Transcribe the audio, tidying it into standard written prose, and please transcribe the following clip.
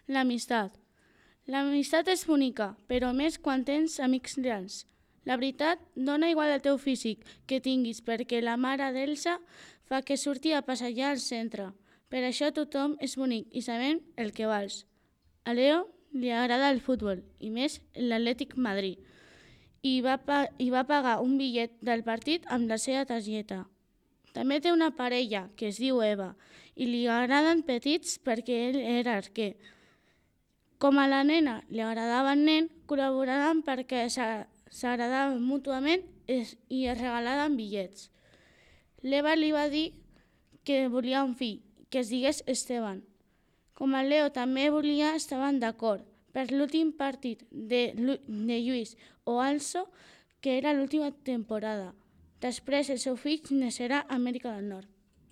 L'amistat. L'amistat és bonica, però més quan tens amics reals. La veritat, dona igual el teu físic que tinguis perquè la mare d'Elsa fa que surti a passejar al centre. Per això tothom és bonic i sabem el que vals. A Leo li agrada el futbol i més l'Atlètic Madrid i va pagar un bitllet del partit amb la seva targeta. També té una parella que es diu Eva i li agraden petits perquè ell era arquer. Com a la nena li agradava el nen, col·laboraran perquè s'agradaven mútuament i es regalaven bitllets. L'Eva li va dir que volia un fill, que es digués Esteban. Com el Leo també volia, estaven d'acord per l'últim partit de Lluís o Also, que era l'última temporada. Després el seu fill naixerà a Amèrica del Nord.